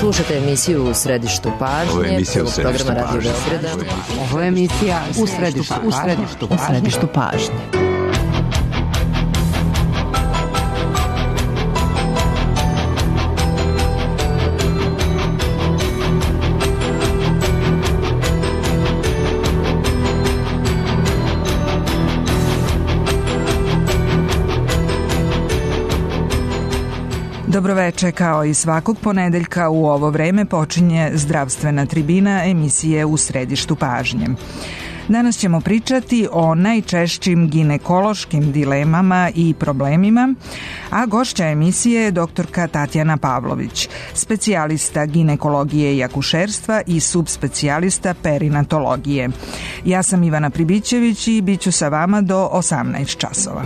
Slušajte emisiju U središtu pažnje, programa Radio Beograda. Ovo je emisija U središtu pažnje. Dobroveče, kao i svakog ponedeljka u ovo vreme počinje zdravstvena tribina emisije U središtu pažnje. Danas ćemo pričati o najčešćim ginekološkim dilemama i problemima, a gošća emisije je doktorka Tatjana Pavlović, specijalista ginekologije i akušerstva i subspecijalista perinatologije. Ja sam Ivana Pribićević i bit ću sa vama do 18 časova.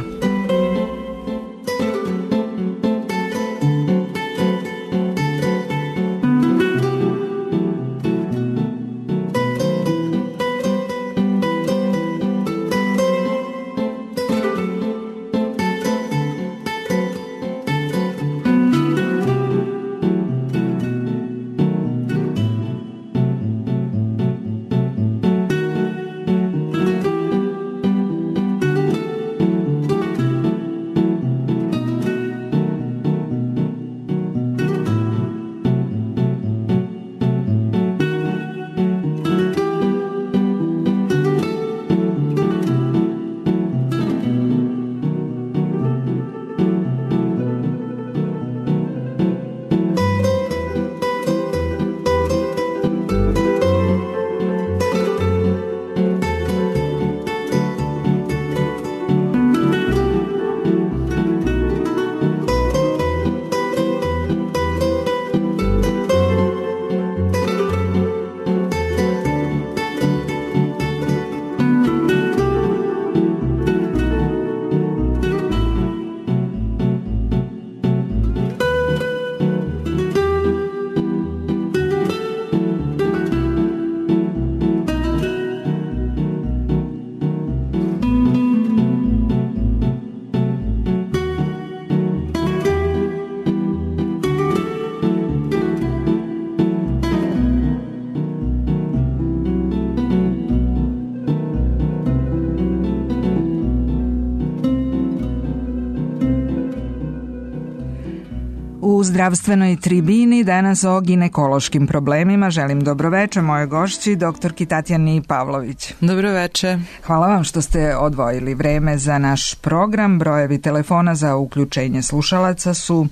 U zdravstvenoj tribini danas o ginekološkim problemima želim dobroveče moje gošći, doktorki Tatjani Pavlović. Dobroveče. Hvala vam što ste odvojili vreme za naš program. Brojevi telefona za uključenje slušalaca su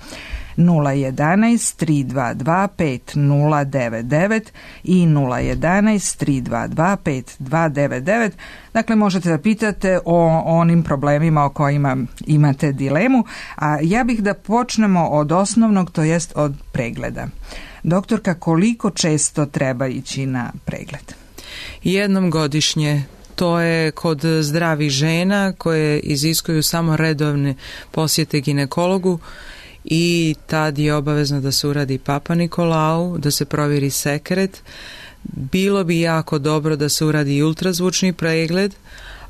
011 322 5099 i 011 322 5299. Dakle, možete da pitate o onim problemima o kojima imate dilemu, a ja bih da počnemo od osnovnog, to jest od pregleda. Doktorka, koliko često treba ići na pregled? Jednom godišnje. To je kod zdravih žena koje iziskuju samo redovne posjete ginekologu i tad je obavezno da se uradi Papa Nikolau, da se provjeri sekret. Bilo bi jako dobro da se uradi i ultrazvučni pregled,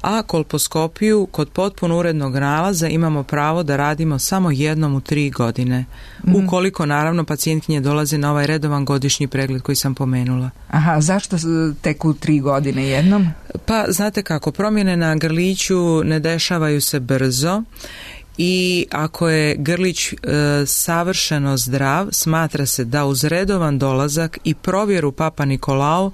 a kolposkopiju kod potpuno urednog nalaza imamo pravo da radimo samo jednom u 3 godine. Ukoliko naravno pacijentkinje dolaze na ovaj redovan godišnji pregled koji sam pomenula. Aha, zašto tek u 3 godine jednom? Pa znate kako, promjene na grliću ne dešavaju se brzo. I ako je grlić savršeno zdrav, smatra se da uz redovan dolazak i provjeru Papa Nikolau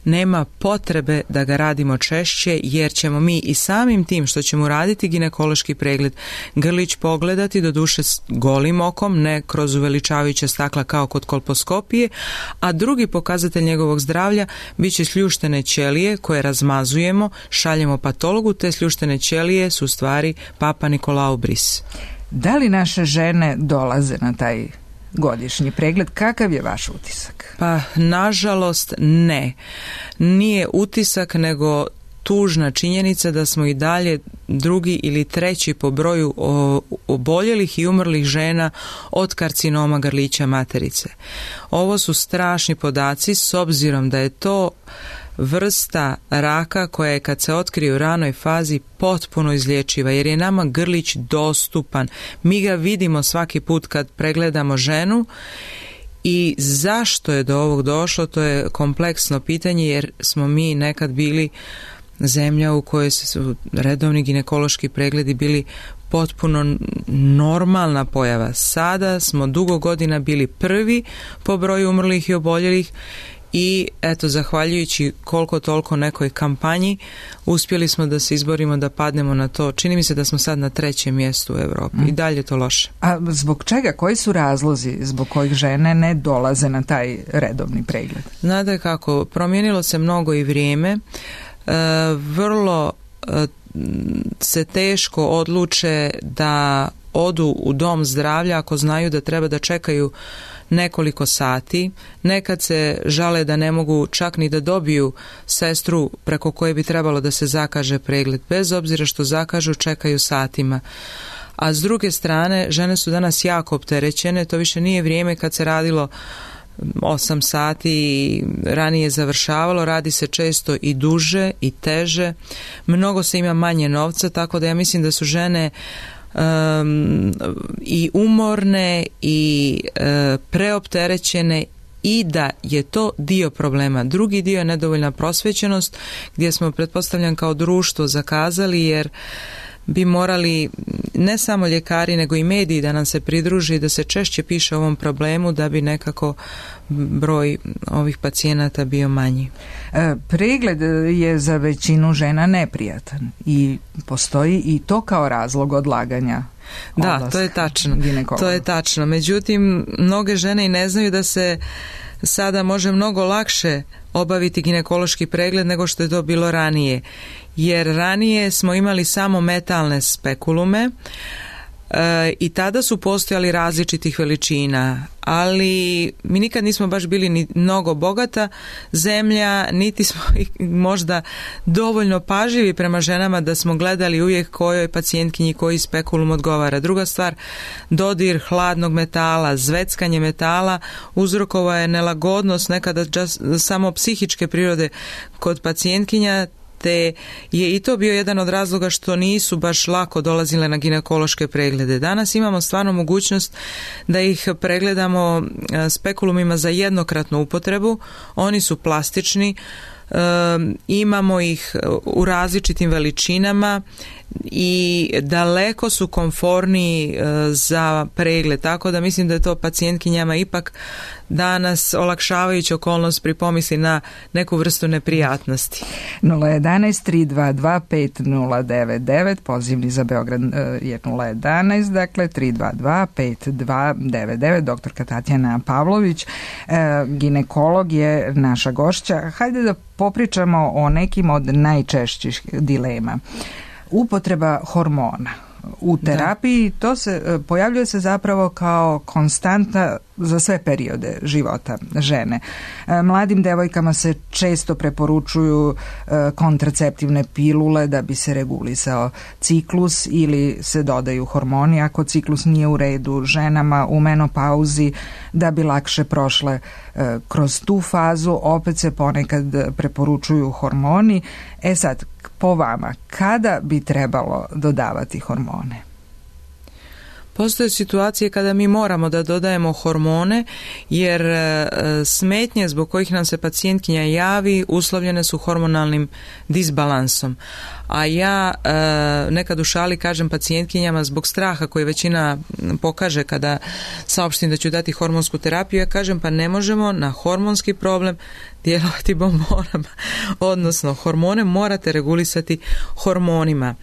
nema potrebe da ga radimo češće, jer ćemo mi i samim tim što ćemo raditi ginekološki pregled grlić pogledati, doduše golim okom, ne kroz uveličavajuća stakla kao kod kolposkopije, a drugi pokazatelj njegovog zdravlja bit će sljuštene ćelije koje razmazujemo, šaljemo patologu, te sljuštene ćelije su u stvari Papa Nikolau bris. Da li naše žene dolaze na taj godišnji pregled? Kakav je vaš utisak? Pa, nažalost, ne. Nije utisak, nego tužna činjenica da smo i dalje drugi ili treći po broju oboljelih i umrlih žena od karcinoma grlića materice. Ovo su strašni podaci s obzirom da je to vrsta raka koja je kad se otkrije u ranoj fazi potpuno izlječiva, jer je nama grlić dostupan. Mi ga vidimo svaki put kad pregledamo ženu I zašto je do ovog došlo, to je kompleksno pitanje, jer smo mi nekad bili zemlja u kojoj su redovni ginekološki pregledi bili potpuno normalna pojava. Sada smo dugo godina bili prvi po broju umrlih i oboljelih i eto, zahvaljujući koliko toliko nekoj kampanji uspjeli smo da se izborimo da padnemo na to. Čini mi se da smo sad na 3. mjestu u Europi i dalje je to loše. A zbog čega? Koji su razlozi zbog kojih žene ne dolaze na taj redovni pregled? Znate kako, promijenilo se mnogo i vrijeme. Vrlo se teško odluče da odu u dom zdravlja ako znaju da treba da čekaju nekoliko sati. Nekad se žale da ne mogu čak ni da dobiju sestru preko koje bi trebalo da se zakaže pregled. Bez obzira što zakažu, čekaju satima. A s druge strane, žene su danas jako opterećene. To više nije vrijeme kad se radilo 8 sati i ranije završavalo, radi se često i duže i teže, mnogo se ima manje novca, tako da ja mislim da su žene i umorne i preopterećene i da je to dio problema. Drugi dio je nedovoljna prosvećenost gdje smo, pretpostavljam, kao društvo zakazali, jer bi morali ne samo ljekari nego i mediji da nam se pridruži, da se češće piše o ovom problemu da bi nekako broj ovih pacijenata bio manji. Pregled je za većinu žena neprijatan i postoji i to kao razlog odlaganja. Da, to je tačno. To je tačno. Međutim, mnoge žene i ne znaju da se sada može mnogo lakše obaviti ginekološki pregled nego što je to bilo ranije. Jer ranije smo imali samo metalne spekulume i tada su postojali različitih veličina, ali mi nikad nismo baš bili ni mnogo bogata zemlja, niti smo možda dovoljno pažljivi prema ženama da smo gledali uvijek kojoj pacijentkinji koji spekulum odgovara. Druga stvar, dodir hladnog metala, zveckanje metala uzrokovao je nelagodnost nekada samo psihičke prirode kod pacijentkinja, te je i to bio jedan od razloga što nisu baš lako dolazile na ginekološke preglede. Danas imamo stvarno mogućnost da ih pregledamo spekulumima za jednokratnu upotrebu. Oni su plastični, imamo ih u različitim veličinama i daleko su komforniji za pregled, tako da mislim da je to pacijentkinjama ipak danas olakšavajuća okolnost pri pomisli na neku vrstu neprijatnosti. 011-322-5099, pozivni za Beograd je 011, dakle 322-5299, doktorka Tatjana Pavlović, ginekolog je naša gošća. Hajde da popričamo o nekim od najčešćih dilema. Upotreba hormona u terapiji, to se pojavljuje se zapravo kao konstanta za sve periode života žene. Mladim devojkama se često preporučuju kontraceptivne pilule da bi se regulisao ciklus ili se dodaju hormoni ako ciklus nije u redu. Ženama u menopauzi da bi lakše prošle kroz tu fazu opet se ponekad preporučuju hormoni. Sad, po vama, kada bi trebalo dodavati hormone? Postoje situacije kada mi moramo da dodajemo hormone jer smetnje zbog kojih nam se pacijentkinja javi uslovljene su hormonalnim disbalansom. A ja nekad u šali kažem pacijentkinjama zbog straha koji većina pokaže kada saopštim da ću dati hormonsku terapiju, ja kažem pa ne možemo na hormonski problem djelovati bombonama. Odnosno, hormone morate regulisati hormonima.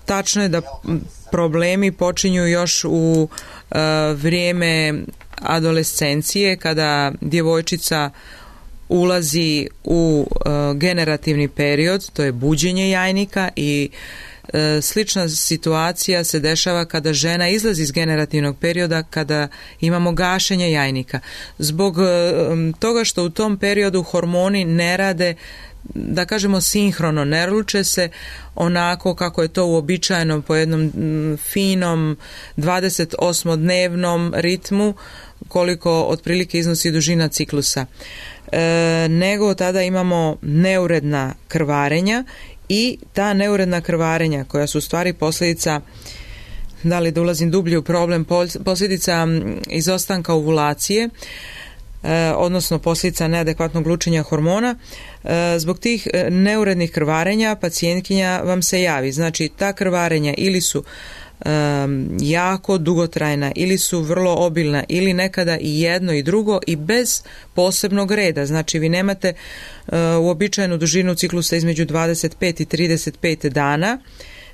Tačno je da problemi počinju još u vrijeme adolescencije kada djevojčica ulazi u generativni period, to je buđenje jajnika i slična situacija se dešava kada žena izlazi iz generativnog perioda kada imamo gašenje jajnika. Zbog toga što u tom periodu hormoni ne rade, da kažemo sinhrono, ne luče se onako kako je to uobičajeno po jednom finom 28-dnevnom ritmu koliko otprilike iznosi dužina ciklusa. Nego tada imamo neuredna krvarenja i ta neuredna krvarenja koja su u stvari posljedica da li da ulazim dublje u problem, posljedica izostanka ovulacije, odnosno posljedica neadekvatnog lučenja hormona. Zbog tih neurednih krvarenja pacijentkinja vam se javi. Znači, ta krvarenja ili su jako dugotrajna ili su vrlo obilna ili nekada i jedno i drugo i bez posebnog reda. Znači, vi nemate uobičajenu dužinu ciklusa između 25 i 35 dana,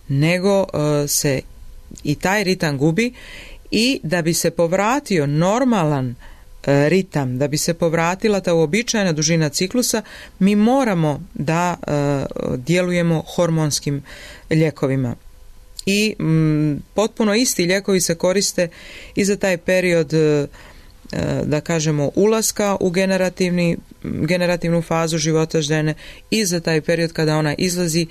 nego se i taj ritam gubi, i da bi se povratio normalan ritam, da bi se povratila ta uobičajena dužina ciklusa, mi moramo da djelujemo hormonskim lijekovima. I potpuno isti lijekovi se koriste i za taj period, da kažemo, ulaska u generativnu fazu života žene i za taj period kada ona izlazi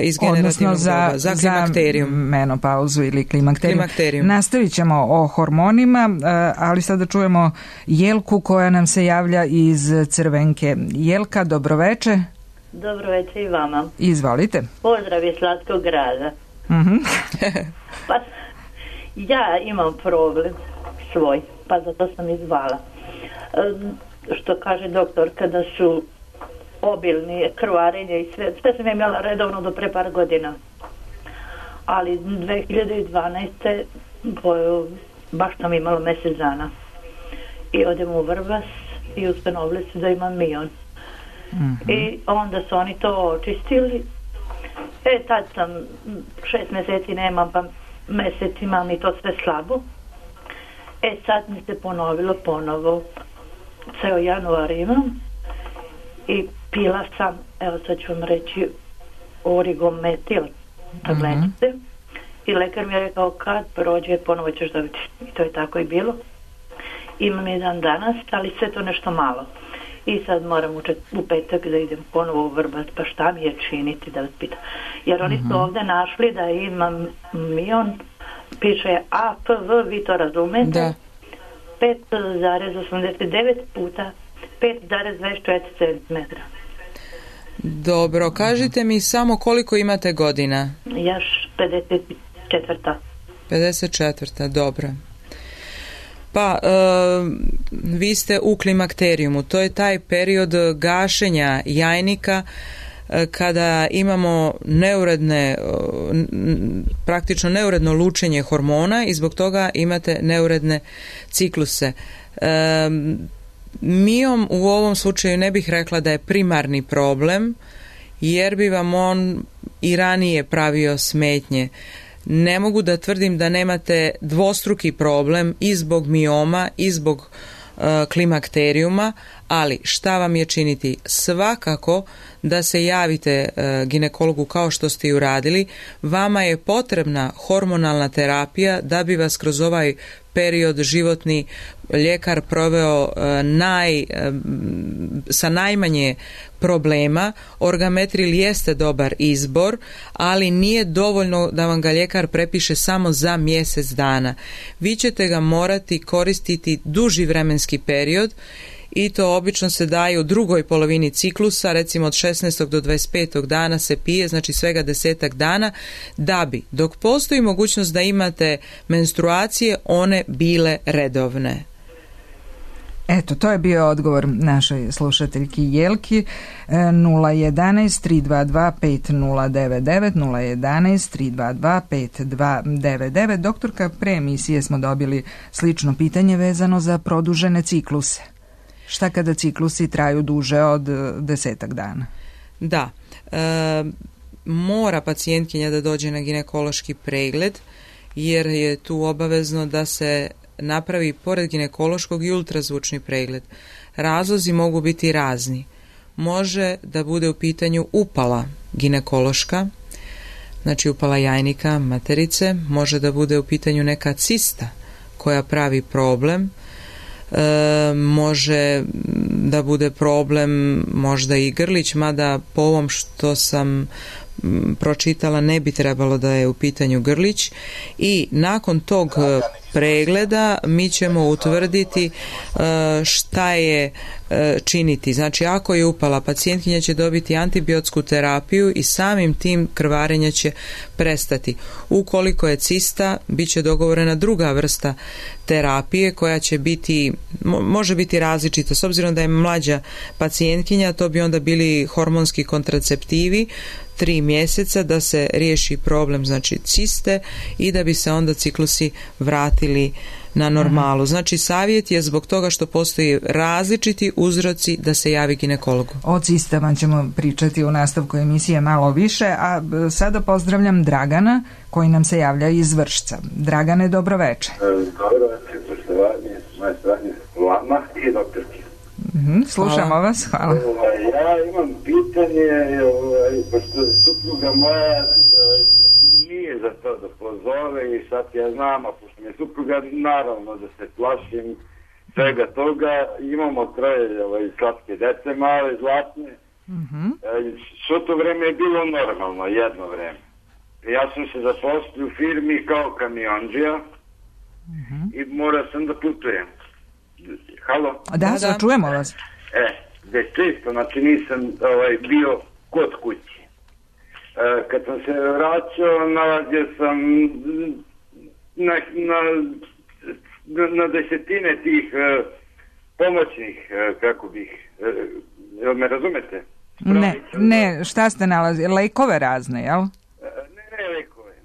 iz generativnog doba, za klimakterijum. Za menopauzu ili klimakterijum. Nastavit ćemo o hormonima, ali sada čujemo Jelku koja nam se javlja iz Crvenke. Jelka, dobroveče. Dobroveče i vama. Izvolite. Pozdrav iz Slatkog grada. Pa ja imam problem svoj, pa zato sam izvala. Što kaže doktor, kada su obilni krvarenje i sve sam imala redovno do pre par godina. Ali 2012. baš sam imala mjesec dana. I odem u Vrbas i ustanovili su da imam mion. I onda su oni to očistili. Tad sam 6 mjeseci nemam, pa mjesec imam i to sve slabo. Sad mi se ponovilo ponovo. Ceo januar imam i pila sam, evo sad ću vam reći, origometil tabletice. I lekar mi je rekao kad prođe ponovo ćeš dobiti. I to je tako i bilo. Imam jedan danas, ali sve to nešto malo. I sad moram u petak da idem ponovo u Vrbac, pa šta mi je činiti, da vas pitam. Jer oni su ovdje našli da imam mion, piše APV, vi to razumete, da. 5,89 puta 5,24 cm. Dobro, kažite mi samo koliko imate godina? Ja 54. 54, dobro. Pa, vi ste u klimakterijumu, to je taj period gašenja jajnika kada imamo praktično neuredno lučenje hormona i zbog toga imate neuredne cikluse. Miom u ovom slučaju ne bih rekla da je primarni problem, jer bi vam on i ranije pravio smetnje. Ne mogu da tvrdim da nemate dvostruki problem i zbog mioma i zbog klimakterijuma, ali šta vam je činiti? Svakako da se javite ginekologu kao što ste i uradili. Vama je potrebna hormonalna terapija da bi vas kroz ovaj period životni ljekar proveo sa najmanje problema. Orgametril jeste dobar izbor, ali nije dovoljno da vam ga ljekar prepiše samo za mjesec dana. Vi ćete ga morati koristiti duži vremenski period i to obično se daje u drugoj polovini ciklusa, recimo od 16. do 25. dana se pije, znači svega 10 dana, da bi, dok postoji mogućnost da imate menstruacije, one bile redovne. Eto, to je bio odgovor našoj slušateljki Jelki. 011 322 5099 011 322 5299. Doktorka, pre emisije smo dobili slično pitanje vezano za produžene cikluse. Šta kada ciklusi traju duže od 10 dana? Da, mora pacijentkinja da dođe na ginekološki pregled, jer je tu obavezno da se napravi pored ginekološkog i ultrazvučni pregled. Razlozi mogu biti razni. Može da bude u pitanju upala ginekološka, znači upala jajnika, materice, može da bude u pitanju neka cista koja pravi problem, može da bude problem možda i grlić, mada po ovom što sam pročitala ne bi trebalo da je u pitanju grlić. I nakon tog pregleda mi ćemo utvrditi šta je činiti. Znači, ako je upala, pacijentkinja će dobiti antibiotsku terapiju i samim tim krvarenje će prestati. Ukoliko je cista, bit će dogovorena druga vrsta terapije koja će biti, može biti različita. S obzirom da je mlađa pacijentkinja, to bi onda bili hormonski kontraceptivi 3 mjeseca da se riješi problem, znači ciste, i da bi se onda ciklusi vratili na normalu. Znači, savjet je zbog toga što postoji različiti uzroci da se javi ginekologu. O cistama ćemo pričati u nastavku emisije malo više, a sada pozdravljam Dragana koji nam se javlja iz Vršca. Dragane, dobro večer. Dobro večer, poštovanje, moje stranje vama i doktorki. Slušamo vas, hvala. Ja imam pitanje, pošto supruga moja nije za to da pozove i sad ja znam, a pošto mi je supruga, naravno da se plašim svega toga. Imamo 3 slatke dece, male, zlatne. Svo to vreme je bilo normalno, jedno vreme. Ja sam se zaposlio u firmi kao kamionđija i morao sam da putujem. Halo? Da, čujemo vas. Već često, znači nisam bio kod kući. Kad sam se vraćao, nalazio sam na desetine tih pomoćnih, kako bih, me razumete? Ne, šta ste nalazili? Lekove razne, jel?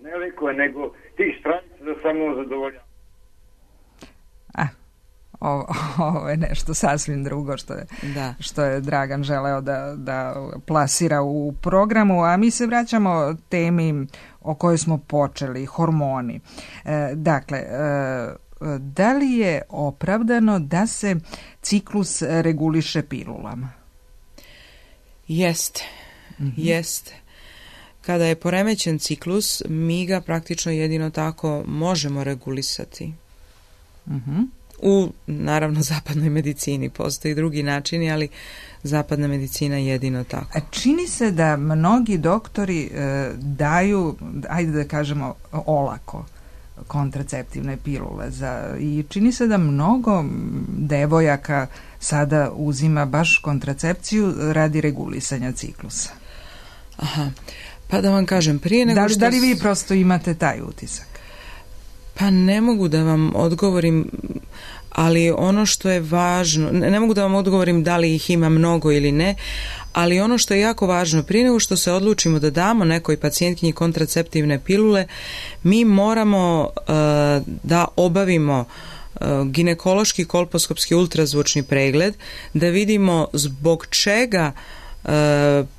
Ne lekove, nego tih stranica za samo zadovoljavanje. Ovo je nešto sasvim drugo što je Dragan želeo da plasira u programu, a mi se vraćamo temi o kojoj smo počeli, hormoni. Dakle, da li je opravdano da se ciklus reguliše pilulama? Jeste. Kada je poremećen ciklus, mi ga praktično jedino tako možemo regulisati. U, naravno, zapadnoj medicini postoji drugi načini, ali zapadna medicina je jedino tako. Čini se da mnogi doktori daju, ajde da kažemo, olako kontraceptivne pilule i čini se da mnogo devojaka sada uzima baš kontracepciju radi regulisanja ciklusa. Aha, pa da vam kažem, prije nego što... Da li vi prosto imate taj utisak? Pa ne mogu da vam odgovorim, ali ono što je važno, ne mogu da vam odgovorim da li ih ima mnogo ili ne, ali ono što je jako važno, prije nego što se odlučimo da damo nekoj pacijentkinji kontraceptivne pilule, mi moramo da obavimo ginekološki kolposkopski ultrazvučni pregled, da vidimo zbog čega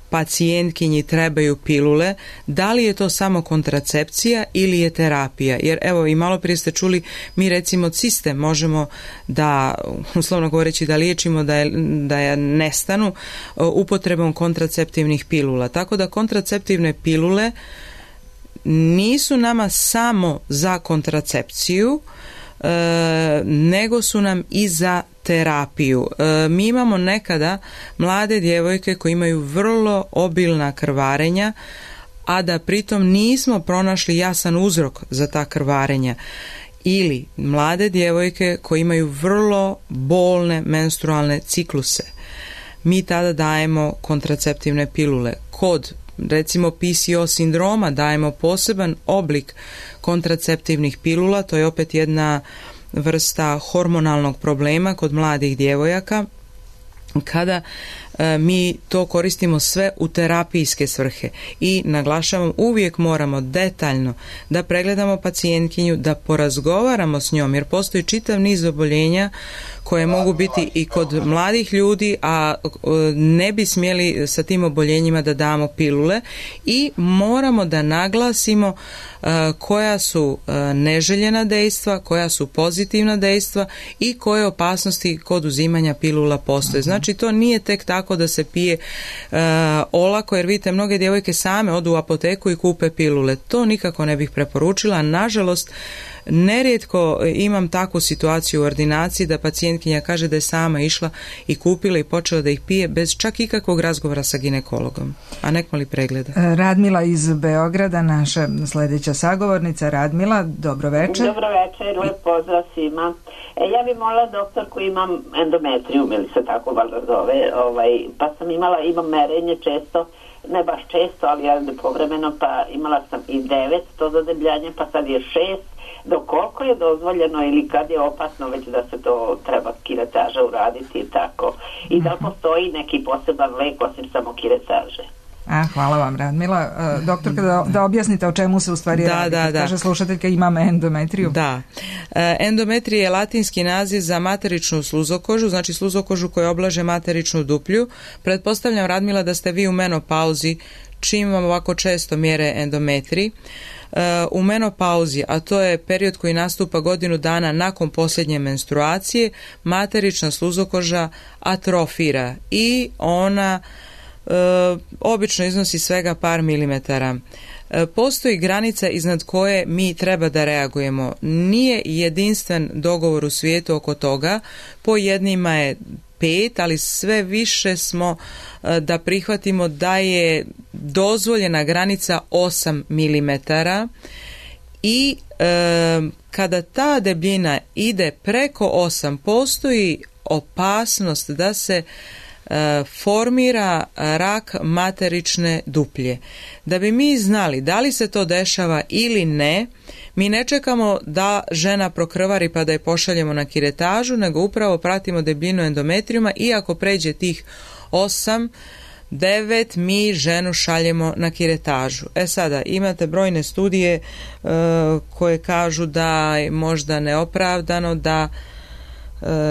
pacijentkinji trebaju pilule, da li je to samo kontracepcija ili je terapija. Jer evo, i malo prije ste čuli, mi recimo ciste možemo da, uslovno govoreći, da liječimo da je nestanu upotrebom kontraceptivnih pilula. Tako da kontraceptivne pilule nisu nama samo za kontracepciju, nego su nam i za terapiju. Mi imamo nekada mlade djevojke koje imaju vrlo obilna krvarenja, a da pritom nismo pronašli jasan uzrok za ta krvarenja. Ili mlade djevojke koje imaju vrlo bolne menstrualne cikluse. Mi tada dajemo kontraceptivne pilule. Kod recimo PCO sindroma dajemo poseban oblik kontraceptivnih pilula, to je opet jedna vrsta hormonalnog problema kod mladih djevojaka, kada mi to koristimo sve u terapijske svrhe. I naglašavam, uvijek moramo detaljno da pregledamo pacijentkinju, da porazgovaramo s njom, jer postoji čitav niz oboljenja koje mogu biti i kod mladih ljudi, a ne bi smjeli sa tim oboljenjima da damo pilule, i moramo da naglasimo koja su neželjena dejstva, koja su pozitivna dejstva i koje opasnosti kod uzimanja pilula postoje. Znači, to nije tek tako tako da se pije olako, jer vidite, mnoge djevojke same odu u apoteku i kupe pilule. To nikako ne bih preporučila. Nažalost, nerijetko imam takvu situaciju u ordinaciji da pacijentkinja kaže da je sama išla i kupila i počela da ih pije bez čak ikakvog razgovora sa ginekologom, a nekmo li pregleda. Radmila iz Beograda, naša sljedeća sagovornica. Radmila, dobro večer. Dobro večer, lep pozdrav svima. Ja bih molila doktorku, imam endometrium, ili se tako valjda zove, pa sam imam merenje često, ne baš često, ali povremeno, pa imala sam i 9, to zadebljanje, pa sad je 6. Do koliko je dozvoljeno ili kad je opasno već da se to treba kiretaža uraditi i tako? I da postoji neki poseban lek osim samo kiretaže? Hvala vam, Radmila. Doktorka, da objasnite o čemu se u stvari radi. Da. Kaže slušateljka, imam endometriju. Da. Endometrija je latinski naziv za materičnu sluzokožu, znači sluzokožu koja oblaže materičnu duplju. Pretpostavljam, Radmila, da ste vi u menopauzi, čim vam ovako često mjere endometrij. U menopauzi, a to je period koji nastupa godinu dana nakon posljednje menstruacije, materična sluzokoža atrofira i ona obično iznosi svega par milimetara. Postoji granica iznad koje mi treba da reagujemo. Nije jedinstven dogovor u svijetu oko toga, po jednima je 5, ali sve više smo da prihvatimo da je dozvoljena granica 8 milimetara i kada ta debljina ide preko 8, postoji opasnost da se formira rak materične duplje. Da bi mi znali da li se to dešava ili ne, mi ne čekamo da žena prokrvari pa da je pošaljemo na kiretažu, nego upravo pratimo debljinu endometrijuma i ako pređe tih 8, 9, mi ženu šaljemo na kiretažu. Sada imate brojne studije koje kažu da je možda neopravdano da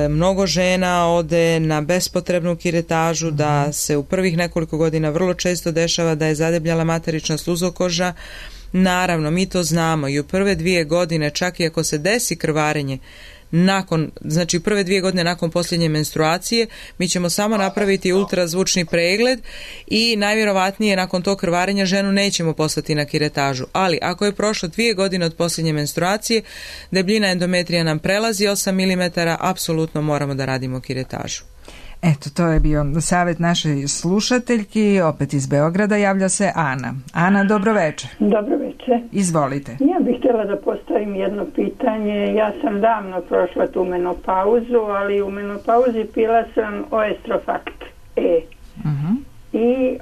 mnogo žena ode na bespotrebnu kiretažu, da se u prvih nekoliko godina vrlo često dešava da je zadebljala materična sluzokoža. Naravno, mi to znamo i u prve 2 godine, čak i ako se desi krvarenje znači prve 2 godine nakon posljednje menstruacije, mi ćemo samo napraviti ultrazvučni pregled i najvjerovatnije nakon tog krvarenja ženu nećemo poslati na kiretažu. Ali ako je prošlo 2 godine od posljednje menstruacije, debljina endometrija nam prelazi 8 mm, apsolutno moramo da radimo kiretažu. Eto, to je bio savjet našoj slušateljki, opet iz Beograda, javlja se Ana. Ana, dobro večer. Dobro večer. Izvolite. Ja bih htjela da postavim jedno pitanje. Ja sam davno prošla tu menopauzu, ali u menopauzi pila sam Oestrofakt E. I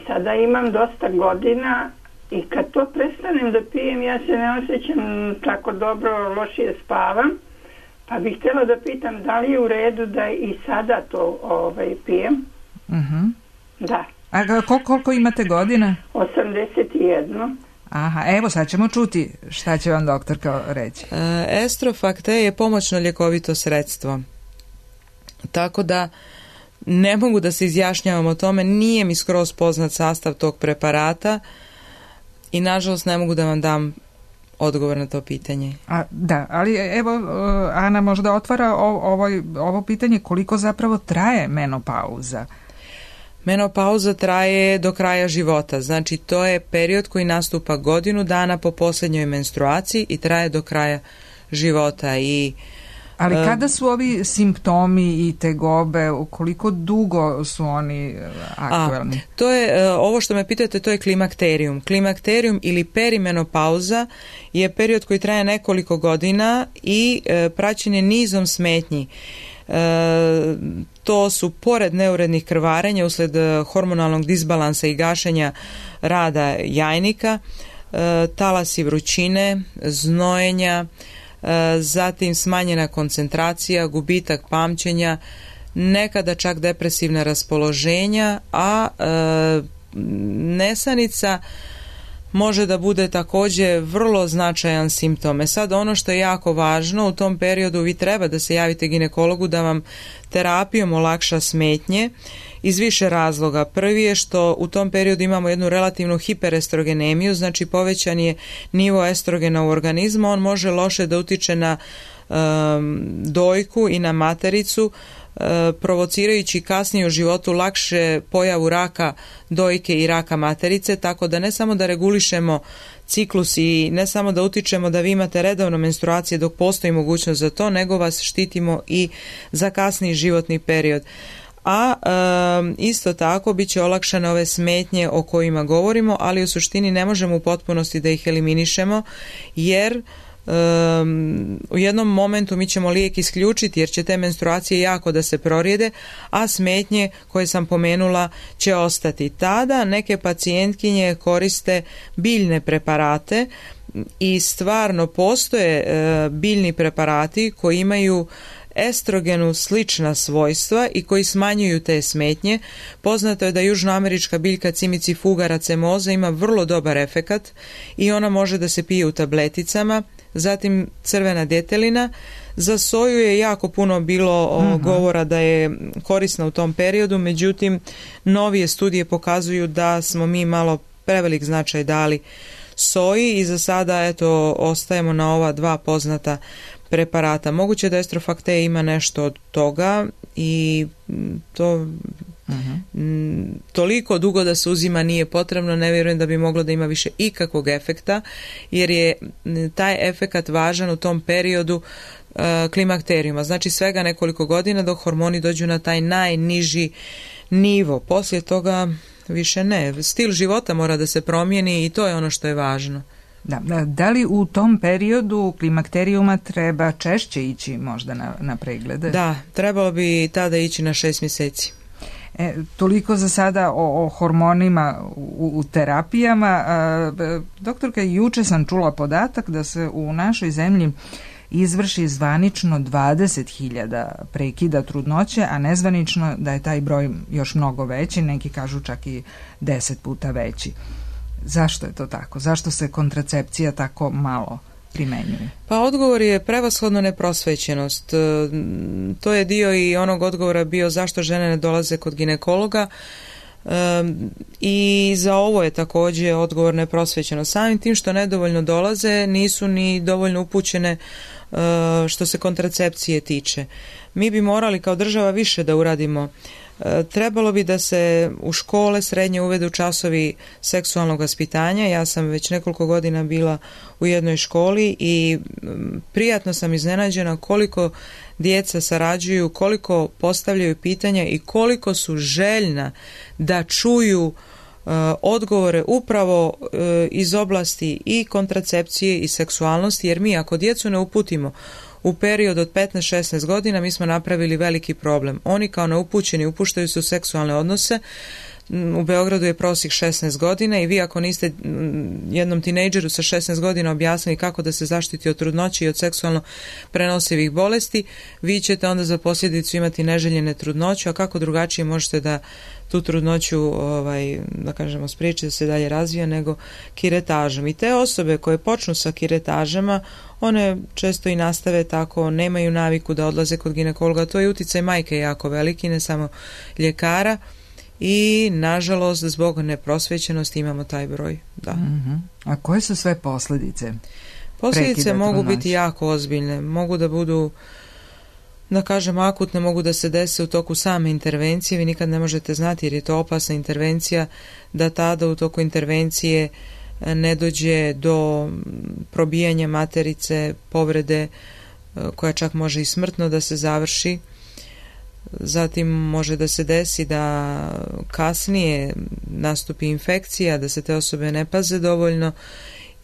sada imam dosta godina i kad to prestanem da pijem, ja se ne osjećam tako dobro, lošije spavam. Pa bih htjela da pitam da li je u redu da i sada to pijem. Da. A koliko imate godina? 81. Aha, evo sad ćemo čuti šta će vam doktorka reći. Estrofakt je pomoćno ljekovito sredstvo. Tako da ne mogu da se izjašnjavam o tome, nije mi skroz poznat sastav tog preparata i nažalost ne mogu da vam dam odgovor na to pitanje. Da, ali evo Ana možda otvara ovo pitanje koliko zapravo traje menopauza. Menopauza traje do kraja života, znači to je period koji nastupa godinu dana po posljednjoj menstruaciji i traje do kraja života. Ali kada su ovi simptomi i tegobe, koliko dugo su oni aktualni? To je, ovo što me pitate, to je klimakterijum. Klimakterijum ili perimenopauza je period koji traje nekoliko godina i praćen je nizom smetnji. To su pored neurednih krvarenja usled hormonalnog disbalansa i gašenja rada jajnika, talasi vrućine, znojenja, zatim smanjena koncentracija, gubitak pamćenja, nekada čak depresivna raspoloženja, a nesanica može da bude također vrlo značajan simptom. Sad ono što je jako važno, u tom periodu vi treba da se javite ginekologu da vam terapijom olakša smetnje iz više razloga. Prvi je što u tom periodu imamo jednu relativnu hiperestrogenemiju, znači povećan je nivo estrogena u organizmu, on može loše da utiče na dojku i na matericu, provocirajući kasnije u životu lakše pojavu raka dojke i raka materice, tako da ne samo da regulišemo ciklus i ne samo da utičemo da vi imate redovno menstruacije dok postoji mogućnost za to, nego vas štitimo i za kasniji životni period. A isto tako bit će olakšane ove smetnje o kojima govorimo, ali u suštini ne možemo u potpunosti da ih eliminišemo, jer u jednom momentu mi ćemo lijek isključiti jer će te menstruacije jako da se prorijede, a smetnje koje sam pomenula će ostati. Tada neke pacijentkinje koriste biljne preparate i stvarno postoje biljni preparati koji imaju estrogenu slična svojstva i koji smanjuju te smetnje. Poznato je da južnoamerička biljka Cimicifuga racemosa ima vrlo dobar efekat i ona može da se pije u tableticama. Zatim crvena djetelina. Za soju je jako puno bilo govora da je korisna u tom periodu, međutim novije studije pokazuju da smo mi malo prevelik značaj dali soji i za sada eto ostajemo na ova dva poznata preparata. Moguće da Estrofakte ima nešto od toga i to toliko dugo da se uzima nije potrebno, ne vjerujem da bi moglo da ima više ikakvog efekta, jer je taj efekat važan u tom periodu klimakterijuma, znači svega nekoliko godina dok hormoni dođu na taj najniži nivo. Poslije toga više ne. Stil života mora da se promijeni i to je ono što je važno. Da li u tom periodu klimakterijuma treba češće ići možda na preglede? Da, trebalo bi tada ići na 6 mjeseci. Toliko za sada o hormonima u terapijama. Doktorka, juče sam čula podatak da se u našoj zemlji izvrši zvanično 20.000 prekida trudnoće, a nezvanično da je taj broj još mnogo veći, neki kažu čak i 10 puta veći. Zašto je to tako? Zašto se kontracepcija tako malo primenjuje? Pa odgovor je prevashodno neprosvećenost. To je dio i onog odgovora bio zašto žene ne dolaze kod ginekologa, i za ovo je također odgovor neprosvećenost. Samim tim što nedovoljno dolaze, nisu ni dovoljno upućene što se kontracepcije tiče. Mi bi morali kao država više da uradimo. Trebalo bi da se u škole srednje uvedu časovi seksualnog vaspitanja. Ja sam već nekoliko godina bila u jednoj školi i prijatno sam iznenađena koliko djeca sarađuju, koliko postavljaju pitanja i koliko su željna da čuju odgovore upravo iz oblasti i kontracepcije i seksualnosti, jer mi ako djecu ne uputimo u period od 15-16 godina, mi smo napravili veliki problem. Oni kao neupućeni upuštaju se u seksualne odnose. U Beogradu je prosjek 16 godina i vi ako niste jednom tinejdžeru sa 16 godina objasnili kako da se zaštiti od trudnoće i od seksualno prenosivih bolesti, vi ćete onda za posljedicu imati neželjene trudnoću, a kako drugačije možete da tu trudnoću da kažemo spriječiti da se dalje razvija nego kiretažom. I te osobe koje počnu sa kiretažama, one često i nastave tako, nemaju naviku da odlaze kod ginekologa. To je utjecaj majke jako veliki, ne samo ljekara, i nažalost zbog neprosvećenosti imamo taj broj. Da. A koje su sve posljedice? Posljedice mogu biti jako ozbiljne, mogu da budu, da kažem, akutne, mogu da se dese u toku same intervencije. Vi nikad ne možete znati jer je to opasna intervencija, da tada u toku intervencije ne dođe do probijanja materice, povrede koja čak može i smrtno da se završi. Zatim može da se desi da kasnije nastupi infekcija, da se te osobe ne paze dovoljno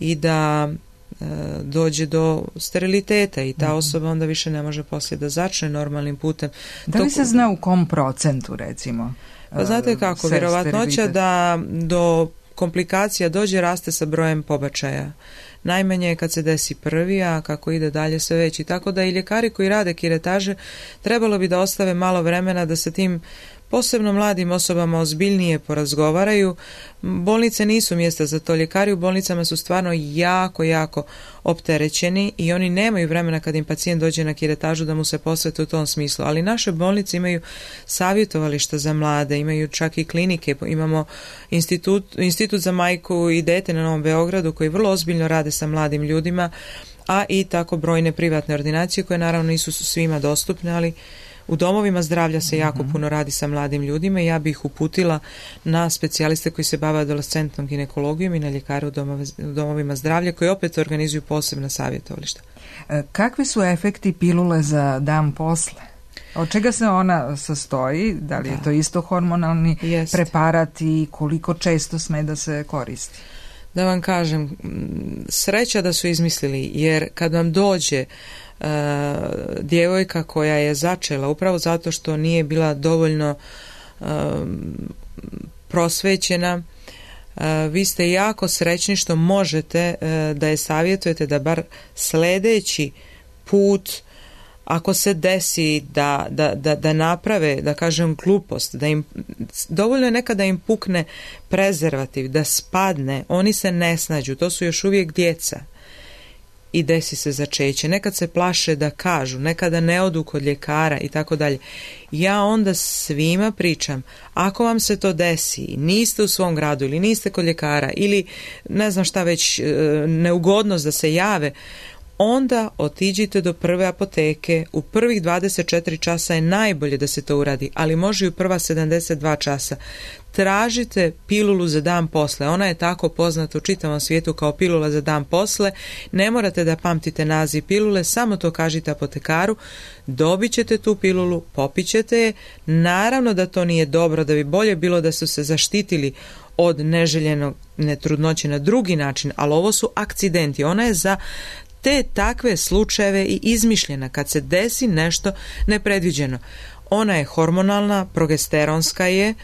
i da dođe do steriliteta i ta osoba onda više ne može poslije da začne normalnim putem. Da li se zna u kom procentu recimo? Pa znate kako, vjerovatnoća da do komplikacija dođe raste sa brojem pobačaja. Najmanje je kad se desi prvi, a kako ide dalje sve veći. Tako da i ljekari koji rade kiretaže trebalo bi da ostave malo vremena da sa tim posebno mladim osobama ozbiljnije porazgovaraju. Bolnice nisu mjesta za to. Ljekari u bolnicama su stvarno jako opterećeni i oni nemaju vremena kad im pacijent dođe na kiretažu da mu se posvete u tom smislu. Ali naše bolnice imaju savjetovališta za mlade, imaju čak i klinike, imamo institut za majku i dete na Novom Beogradu koji vrlo ozbiljno rade sa mladim ljudima, a i tako brojne privatne ordinacije koje naravno nisu svima dostupne, ali U domovima zdravlja se jako puno radi sa mladim ljudima i ja bih ih uputila na specijaliste koji se bave adolescentnom ginekologijom i na ljekare u domovima zdravlja koji opet organizuju posebna savjetovališta. Kakvi su efekti pilule za dan posle? Od čega se ona sastoji? Da li je to isto hormonalni preparat i koliko često sme da se koristi? Da vam kažem, sreća da su izmislili, jer kad vam dođe djevojka koja je začela upravo zato što nije bila dovoljno prosvećena, vi ste jako srećni što možete da je savjetujete da bar sledeći put, ako se desi da naprave, da kažem, glupost, da im dovoljno je nekada da im pukne prezervativ, da spadne, oni se ne snađu, to su još uvijek djeca i desi se začeće. Nekad se plaše da kažu, nekada ne odu kod ljekara i tako dalje. Ja onda svima pričam, ako vam se to desi, niste u svom gradu ili niste kod ljekara ili ne znam šta već, neugodnost da se jave, onda otiđite do prve apoteke. U prvih 24 časa je najbolje da se to uradi, ali može i u prva 72 časa. Tražite pilulu za dan posle. Ona je tako poznata u čitavom svijetu kao pilula za dan posle. Ne morate da pamtite naziv pilule, samo to kažite apotekaru. Dobit ćete tu pilulu, popit ćete je. Naravno da to nije dobro, da bi bolje bilo da su se zaštitili od neželjenog trudnoće na drugi način, ali ovo su akcidenti. Ona je za te takve slučajeve i izmišljena kad se desi nešto nepredviđeno. Ona je hormonalna, progesteronska je,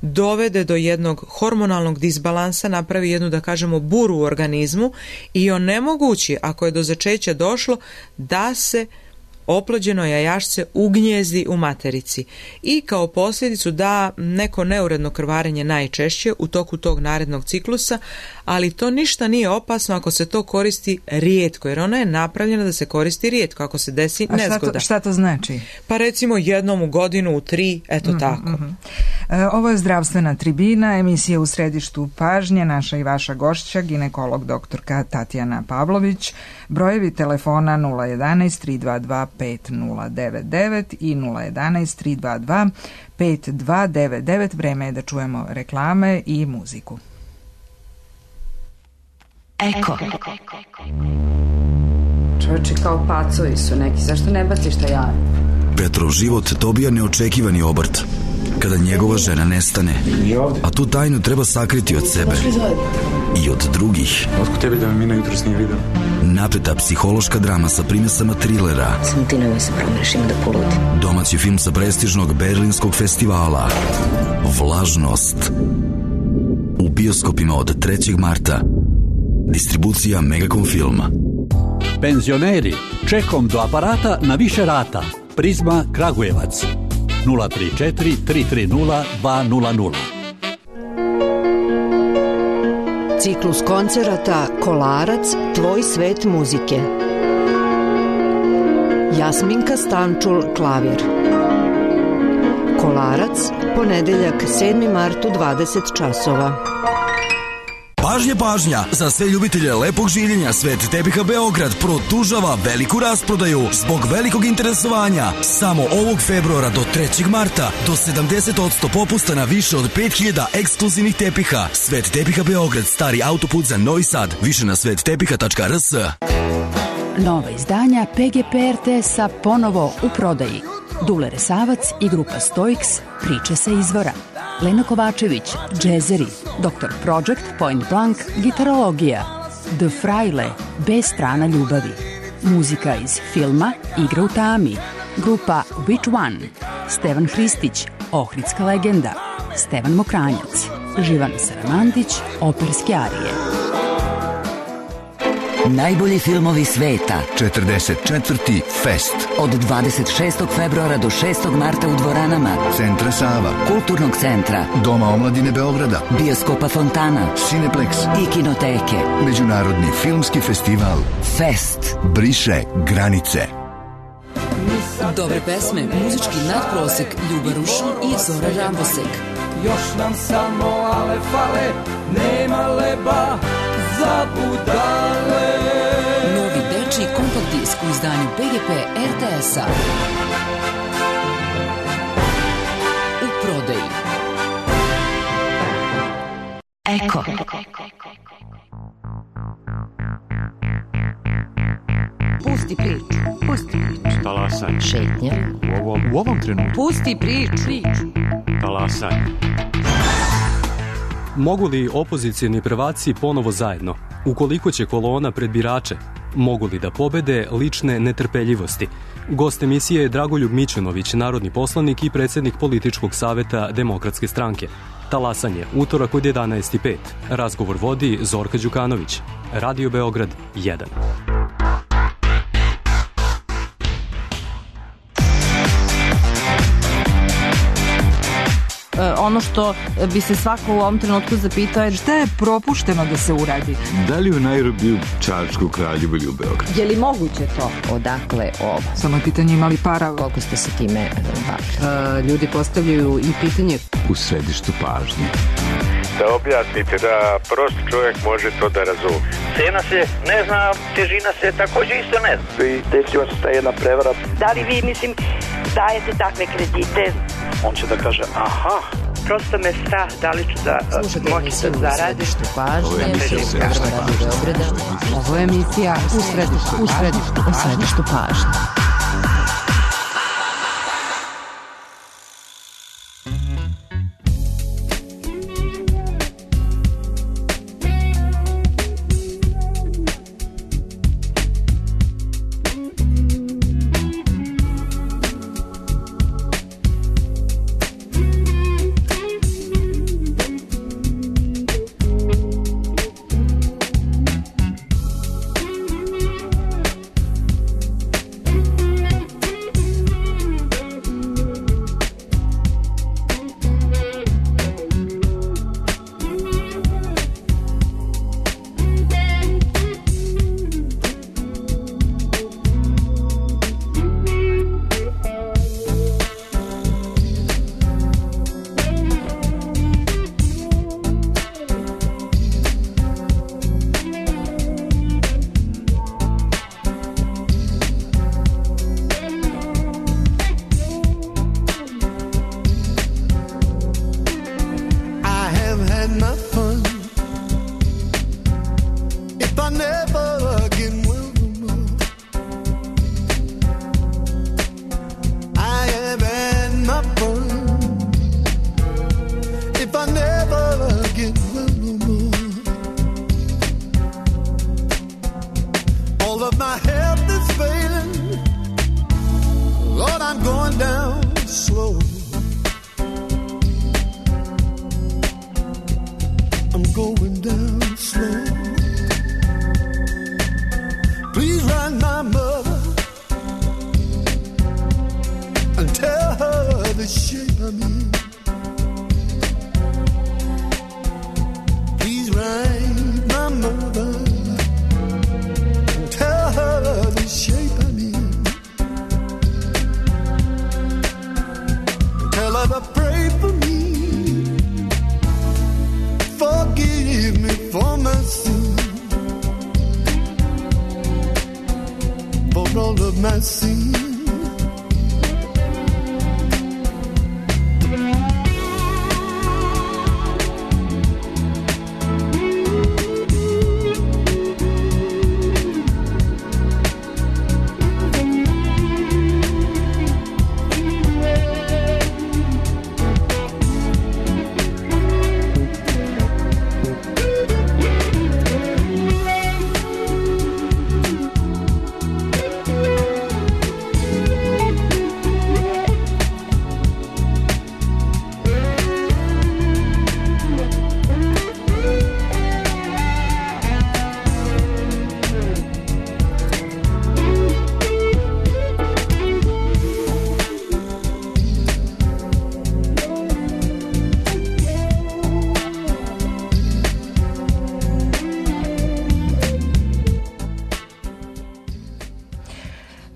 dovede do jednog hormonalnog disbalansa, napravi jednu, da kažemo, buru u organizmu i onemogući, ako je do začeća došlo, da se oplođeno jajašce ugnjezdi u materici i kao posljedicu da neko neuredno krvarenje najčešće u toku tog narednog ciklusa, ali to ništa nije opasno ako se to koristi rijetko, jer ona je napravljena da se koristi rijetko, ako se desi nezgoda. Šta to znači? Pa recimo jednom u godinu, u 3, eto tako. Ovo je Zdravstvena tribina, emisija u središtu pažnje, naša i vaša gošća, ginekolog doktorka Tatjana Pavlović. Brojevi telefona 011 322 5099 i 011 322 5299. Vreme je da čujemo reklame i muziku. Eko. Čovječe, kao pacovi su neki, zašto ne baciš taj jaje? Petrov život dobija neočekivani obrt kada njegova žena nestane, a tu tajnu treba sakriti od sebe i od drugih. Otko tebi da me Mina jutros nije vidio? Napeta psihološka drama sa primesama trilera. Samo ti nemoj se promrešim da poludim. Domaći film sa prestižnog berlinskog festivala Vlažnost. U bioskopima od 3. marta. Distribucija Megacom Filma. Penzioneri, čekom do aparata na više rata. Prizma Kragujevac 034 330 200. Ciklus koncerata Kolarac, tvoj svet muzike. Jasminka Stančul, klavir. Kolarac, ponedeljak 7. mart u 20 časova. Pažnja, pažnja! Za sve ljubitelje lepog življenja Svet tepiha Beograd produžava veliku rasprodaju zbog velikog interesovanja. Samo ovog februara do 3. marta do 70% popusta na više od 5000 ekskluzivnih tepiha. Svet tepiha Beograd, stari autoput za Novi Sad. Više na svettepiha.rs. Nova izdanja PGP RTS-a ponovo u prodaji. Dule Resavac i grupa Stoiks, priče sa izvora. Lena Kovačević, džezeri. Dr. Project, Point Blank, gitarologija. The Fraile, B strana ljubavi. Muzika iz filma Igra u tami. Grupa Which One. Stevan Hristić, Ohridska legenda. Stevan Mokranjac. Živan Saramandić, operske arije. Najbolji filmovi sveta. 44. Fest. Od 26. februara do 6. marta u dvoranama Centra Sava, Kulturnog centra, Doma omladine Beograda, Bioskopa Fontana, Cineplex i Kinoteke. Međunarodni filmski festival Fest briše granice. Dobre pesme, muzički nadprosek, Ljuba Rušan i Zora Rambosek. Još nam samo ale fale, nema leba za budale. Novi dečiji kompakt disk u izdanju PGP RTS-a. Eko. Pusti priču. Pusti priču. Talasaj. Šetnja. U ovom trenutku. Pusti priču. Talasaj. Mogu li opozicijni prvaci ponovo zajedno? Ukoliko će kolona pred birače, mogu li da pobede lične netrpeljivosti? Gost emisije je Dragoljub Mićunović, narodni poslanik i predsjednik političkog saveta Demokratske stranke. Talasanje, utorak od 11:05. Razgovor vodi Zorka Đukanović. Radio Beograd 1. Ono što bi se svako u ovom trenutku zapitao je šta je propušteno da se uradi. Da li u Nairobiju, Čačku, Kraljevu ili u Beogradu? Je li moguće to? Odakle ovo? Samo je pitanje imali para. Koliko ste se time bavili? Ljudi postavljaju i pitanje U središtu pažnje. Da objasnite da prost čovjek može to da razumije. Cena se ne zna, težina se također isto ne zna. I desila se ta jedna prevara. Da li vi, dajete takve kredite? On će da kaže, aha. Prosto me strah da li ću da moći da zaradim. Ovo je emisija U središtu pažnje.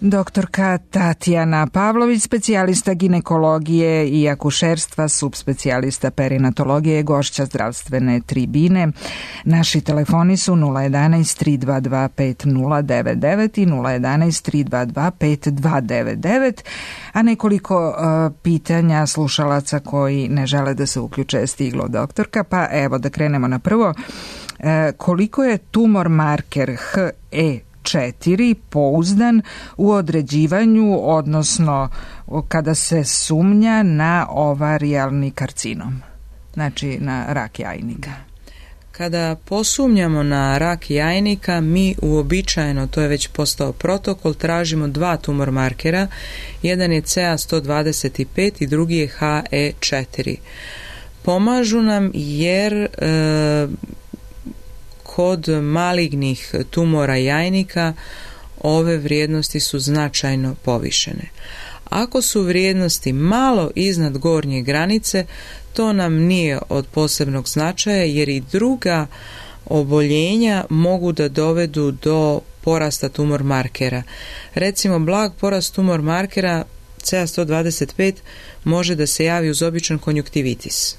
Doktorka Tatjana Pavlović, specijalista ginekologije i akušerstva, subspecijalista perinatologije, gošća zdravstvene tribine. Naši telefoni su 011 322 5099 i 011 322 5299, a nekoliko pitanja slušalaca koji ne žele da se uključe je stiglo, doktorka, pa evo da krenemo na prvo. Koliko je tumor marker HE4 pouzdan u određivanju, odnosno kada se sumnja na ovarijalni karcinom, znači na rak jajnika? Kada posumnjamo na rak jajnika, mi uobičajeno, to je već postao protokol, tražimo 2 tumor markera. Jedan je CA125 i drugi je HE4. Pomažu nam jer kod malignih tumora jajnika ove vrijednosti su značajno povišene. Ako su vrijednosti malo iznad gornje granice, to nam nije od posebnog značaja jer i druga oboljenja mogu da dovedu do porasta tumor markera. Recimo, blag porast tumor markera CA125 može da se javi uz običan konjuktivitis.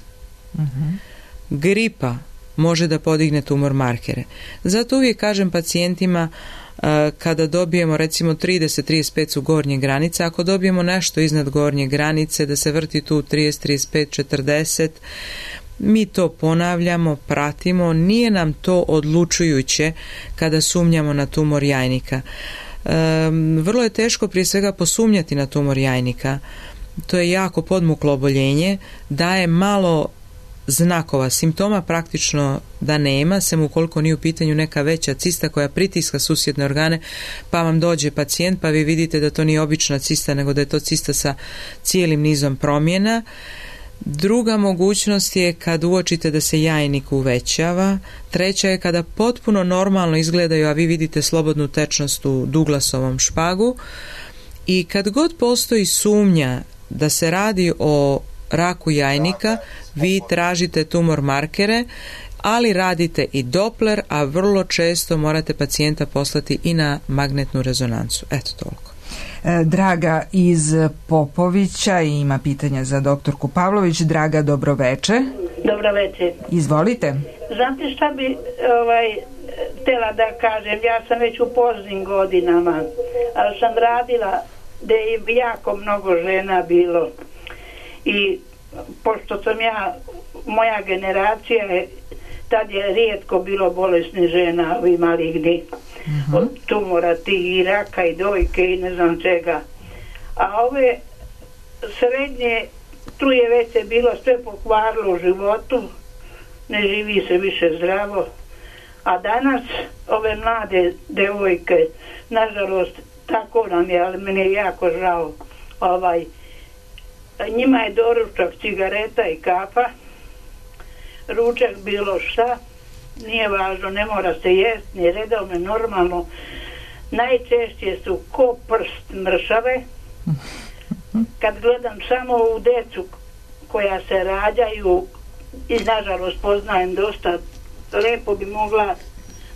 Gripa može da podigne tumor markere. Zato uvijek kažem pacijentima kada dobijemo recimo 30-35 su gornje granice, ako dobijemo nešto iznad gornje granice da se vrti tu 30-35-40, mi to ponavljamo, pratimo, nije nam to odlučujuće kada sumnjamo na tumor jajnika. Vrlo je teško prije svega posumnjati na tumor jajnika. To je jako podmuklo oboljenje, daje malo znakova, simptoma praktično da nema, sem ukoliko nije u pitanju neka veća cista koja pritiska susjedne organe, pa vam dođe pacijent pa vi vidite da to nije obična cista, nego da je to cista sa cijelim nizom promjena. Druga mogućnost je kad uočite da se jajnik uvećava. Treća je kada potpuno normalno izgledaju, a vi vidite slobodnu tečnost u Douglasovom špagu. I kad god postoji sumnja da se radi o raku jajnika, vi tražite tumor markere, ali radite i Doppler, a vrlo često morate pacijenta poslati i na magnetnu rezonancu. Eto toliko. Draga iz Popovića ima pitanje za doktorku Pavlović. Draga, dobroveče. Dobroveče. Izvolite. Znate šta bi htjela da kažem? Ja sam već u poznim godinama, ali sam radila da je jako mnogo žena bilo. I pošto sam moja generacija je, tad je rijetko bilo bolesnih žena, ovi maligni, od tumora, i raka i dojke i ne znam čega. A ove srednje, tu je već se bilo sve pokvarilo u životu, ne živi se više zdravo. A danas ove mlade devojke, nažalost, tako nam je, ali meni je jako žao, njima je doručak cigareta i kafa, ručak bilo šta, nije važno, ne mora se jest, ni redovno, normalno. Najčešće su ko prst mršave. Kad gledam samo u decu koja se rađaju, i nažalost poznajem dosta, lepo bi mogla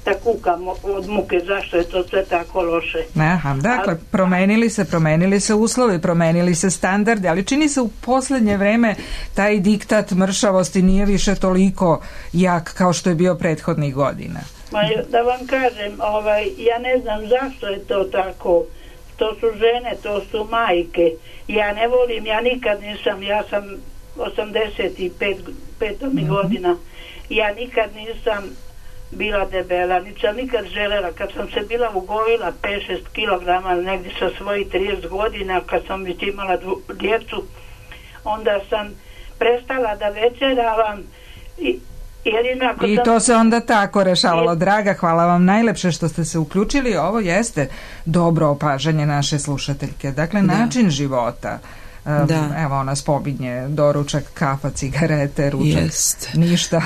da kukam od muke zašto je to sve tako loše. Aha, dakle, promenili se uslovi, promenili se standardi, ali čini se u posljednje vreme taj diktat mršavosti nije više toliko jak kao što je bio prethodnih godina. Da vam kažem, ja ne znam zašto je to tako. To su žene, to su majke. Ja ne volim, ja nikad nisam, ja sam 85 godina, ja nikad nisam bila debela, niti sam nikad želela. Kad sam se bila ugojila 5-6 kilograma negdje sa svojih 30 godina, kad sam već imala djecu, onda sam prestala da večeravam i to se onda tako rešavalo. Draga, hvala vam najlepše što ste se uključili. Ovo jeste dobro opažanje naše slušateljke. Dakle, način života. Evo, ona spominje doručak, kafa, cigarete, ručak, ništa.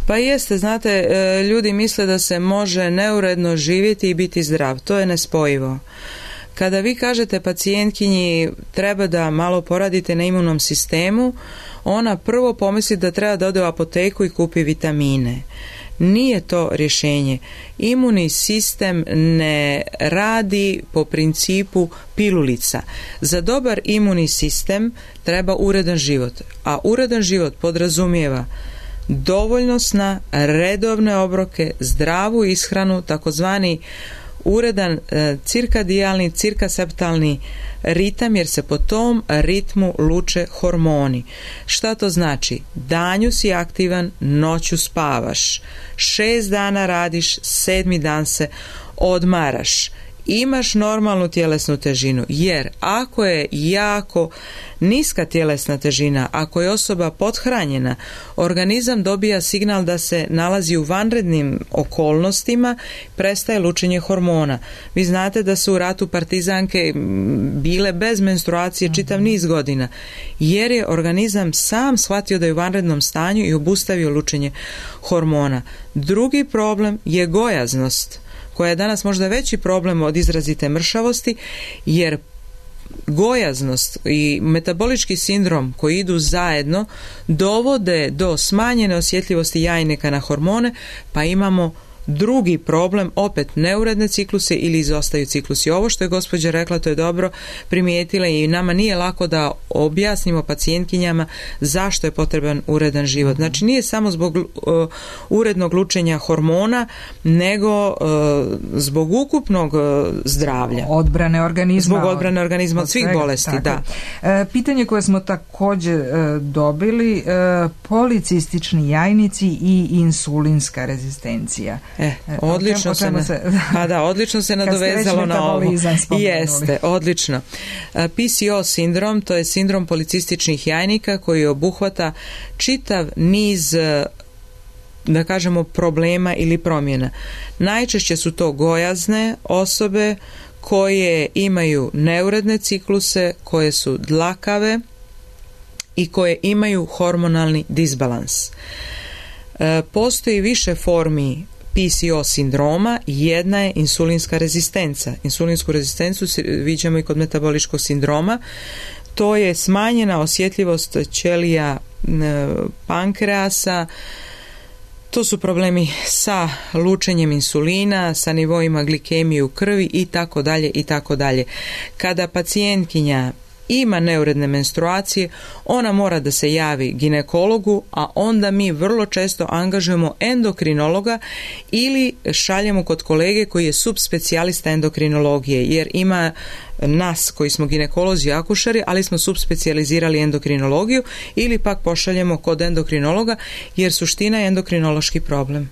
Pa jeste, znate, ljudi misle da se može neuredno živjeti i biti zdrav. To je nespojivo. Kada vi kažete pacijentkinji treba da malo poradite na imunom sistemu, ona prvo pomisli da treba da ode u apoteku i kupi vitamine. Nije to rješenje. Imunni sistem ne radi po principu pilulica. Za dobar imunni sistem treba uredan život, a uredan život podrazumijeva dovoljno sna, redovne obroke, zdravu ishranu, takozvani uredan cirkadijalni, cirkaseptalni ritam, jer se po tom ritmu luče hormoni. Šta to znači? Danju si aktivan, noću spavaš. 6 dana radiš, 7. dan se odmaraš. Imaš normalnu tjelesnu težinu, jer ako je jako niska tjelesna težina, ako je osoba pothranjena, organizam dobija signal da se nalazi u vanrednim okolnostima, prestaje lučenje hormona. Vi znate da su u ratu partizanke bile bez menstruacije čitav niz godina, jer je organizam sam shvatio da je u vanrednom stanju i obustavio lučenje hormona. Drugi problem je gojaznost, koja je danas možda veći problem od izrazite mršavosti, jer gojaznost i metabolički sindrom koji idu zajedno dovode do smanjene osjetljivosti jajnika na hormone, pa imamo drugi problem, opet neuredne cikluse ili izostaju ciklusi. Ovo što je gospođa rekla, to je dobro primijetila i nama nije lako da objasnimo pacijentkinjama zašto je potreban uredan život. Znači nije samo zbog urednog lučenja hormona, nego zbog ukupnog zdravlja. Odbrane organizma. Zbog odbrane organizma od svih bolesti, da. Pitanje koje smo također dobili, policistični jajnici i insulinska rezistencija. Odlično se nadovezalo na ovo. Jeste, odlično. PCO sindrom, to je sindrom policističnih jajnika koji obuhvata čitav niz, da kažemo, problema ili promjena. Najčešće su to gojazne osobe koje imaju neuredne cikluse, koje su dlakave i koje imaju hormonalni disbalans. Postoji više formi PCO sindroma, jedna je insulinska rezistenca. Insulinsku rezistenciju viđamo i kod metaboličkog sindroma. To je smanjena osjetljivost ćelija pankreasa, to su problemi sa lučenjem insulina, sa nivoima glikemije u krvi i tako dalje i tako dalje. Kada pacijentkinja ima neuredne menstruacije, ona mora da se javi ginekologu, a onda mi vrlo često angažujemo endokrinologa ili šaljemo kod kolege koji je subspecijalista endokrinologije, jer ima nas koji smo ginekolozi i akušeri, ali smo subspecijalizirali endokrinologiju, ili pak pošaljemo kod endokrinologa, jer suština je endokrinološki problem.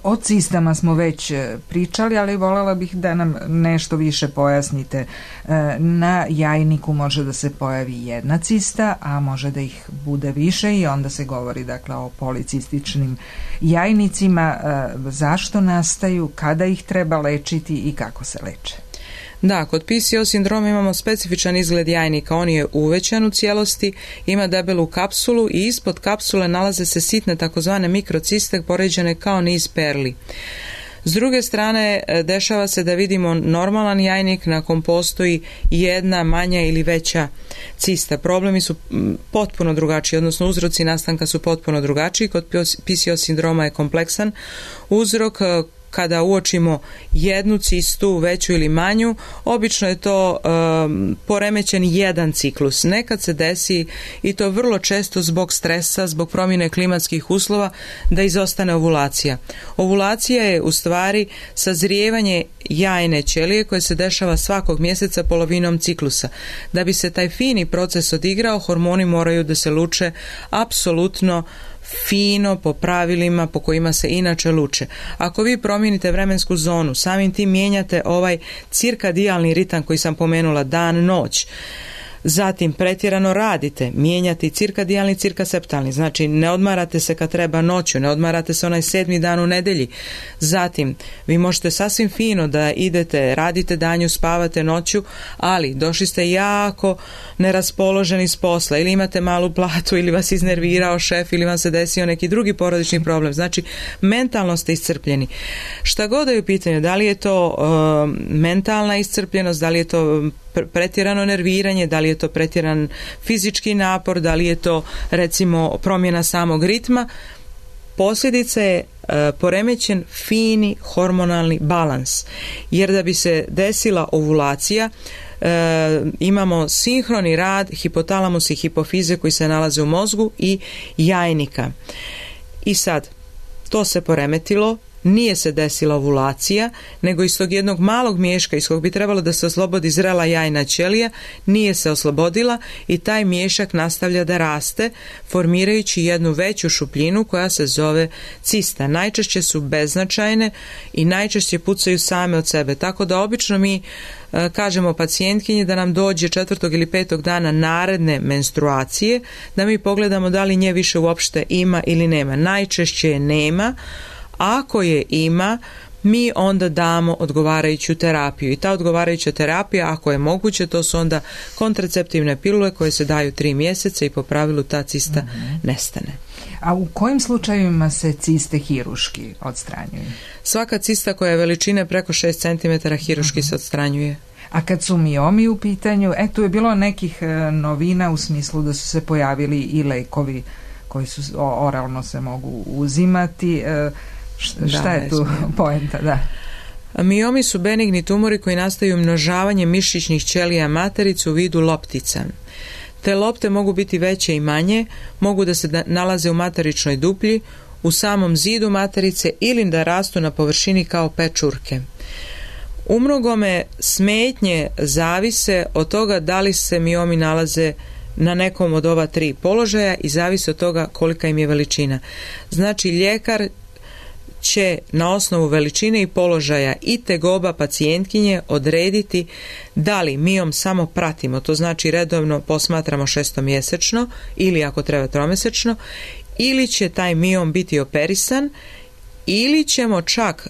O cistama smo već pričali, ali voljela bih da nam nešto više pojasnite. Na jajniku može da se pojavi jedna cista, a može da ih bude više i onda se govori, dakle, o policističnim jajnicima. Zašto nastaju, kada ih treba lečiti i kako se leče? Da, kod PCO sindroma imamo specifičan izgled jajnika. On je uvećan u cijelosti, ima debelu kapsulu i ispod kapsule nalaze se sitne takozvane mikrociste poređene kao niz perli. S druge strane, dešava se da vidimo normalan jajnik na kom postoji jedna manja ili veća cista. Problemi su potpuno drugačiji, odnosno uzroci nastanka su potpuno drugačiji. Kod PCO sindroma je kompleksan uzrok. Kada uočimo jednu cistu, veću ili manju, obično je to poremećen jedan ciklus. Nekad se desi, i to vrlo često zbog stresa, zbog promjene klimatskih uslova, da izostane ovulacija. Ovulacija je u stvari sazrijevanje jajne ćelije koje se dešava svakog mjeseca polovinom ciklusa. Da bi se taj fini proces odigrao, hormoni moraju da se luče apsolutno fino, po pravilima po kojima se inače luče. Ako vi promijenite vremensku zonu, samim tim mijenjate ovaj cirkadijalni ritam koji sam pomenula, dan, noć. Zatim pretjerano radite, mijenjate cirkadijalni, cirkaseptalni, znači ne odmarate se kad treba noću, ne odmarate se onaj 7. dan u nedjelji. Zatim vi možete sasvim fino da idete, radite danju, spavate noću, ali došli ste jako neraspoloženi s posla, ili imate malu platu, ili vas iznervirao šef, ili vam se desio neki drugi porodični problem. Znači mentalno ste iscrpljeni. Šta god je u pitanju, da li je to mentalna iscrpljenost, da li je to pretjerano nerviranje, da li je to pretjeran fizički napor, da li je to recimo promjena samog ritma, posljedica je poremećen fini hormonalni balans, jer da bi se desila ovulacija imamo sinhroni rad hipotalamus i hipofize koji se nalaze u mozgu i jajnika. I sad, to se poremetilo, nije se desila ovulacija, nego iz tog jednog malog miješka iz kog bi trebalo da se oslobodi zrela jajna ćelija, nije se oslobodila i taj miješak nastavlja da raste, formirajući jednu veću šupljinu koja se zove cista. Najčešće su beznačajne i najčešće pucaju same od sebe, tako da obično mi kažemo pacijentkinji da nam dođe 4. ili 5. dana naredne menstruacije, da mi pogledamo da li nje više uopšte ima ili nema. Najčešće je nema. Ako je ima, mi onda damo odgovarajuću terapiju i ta odgovarajuća terapija, ako je moguće, to su onda kontraceptivne pilule koje se daju 3 mjeseca i po pravilu ta cista nestane. A u kojim slučajevima se ciste hiruški odstranjuju? Svaka cista koja je veličine preko 6 cm hiruški se odstranjuje. A kad su miomi u pitanju, tu je bilo nekih novina u smislu da su se pojavili i lekovi koji su oralno se mogu uzimati. Šta je tu poenta? Da. Miomi su benigni tumori koji nastaju umnožavanjem mišićnih ćelija materice u vidu loptica. Te lopte mogu biti veće i manje, mogu da se nalaze u materičnoj duplji, u samom zidu materice ili da rastu na površini kao pečurke. Umnogome smetnje zavise od toga da li se miomi nalaze na nekom od ova 3 položaja i zavisi od toga kolika im je veličina. Znači, ljekar će na osnovu veličine i položaja i tegoba pacijentkinje odrediti da li miom samo pratimo, to znači redovno posmatramo 6-mjesečno ili ako treba 3-mjesečno, ili će taj miom biti operisan, ili ćemo čak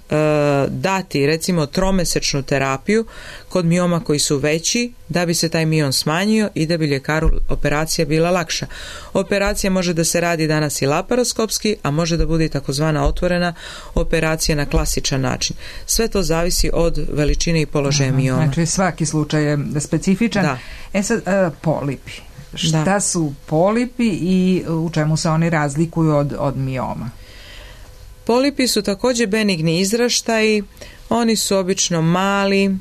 dati recimo 3-mjesečnu terapiju kod mioma koji su veći da bi se taj miom smanjio i da bi ljekaru operacija bila lakša. Operacija može da se radi danas i laparoskopski, a može da bude i takozvana otvorena operacija na klasičan način. Sve to zavisi od veličine i položaja mioma. Znači svaki slučaj je specifičan. Da. Sad, polipi. Šta su polipi i u čemu se oni razlikuju od mioma? Polipi su također benigni izraštaji, oni su obično mali,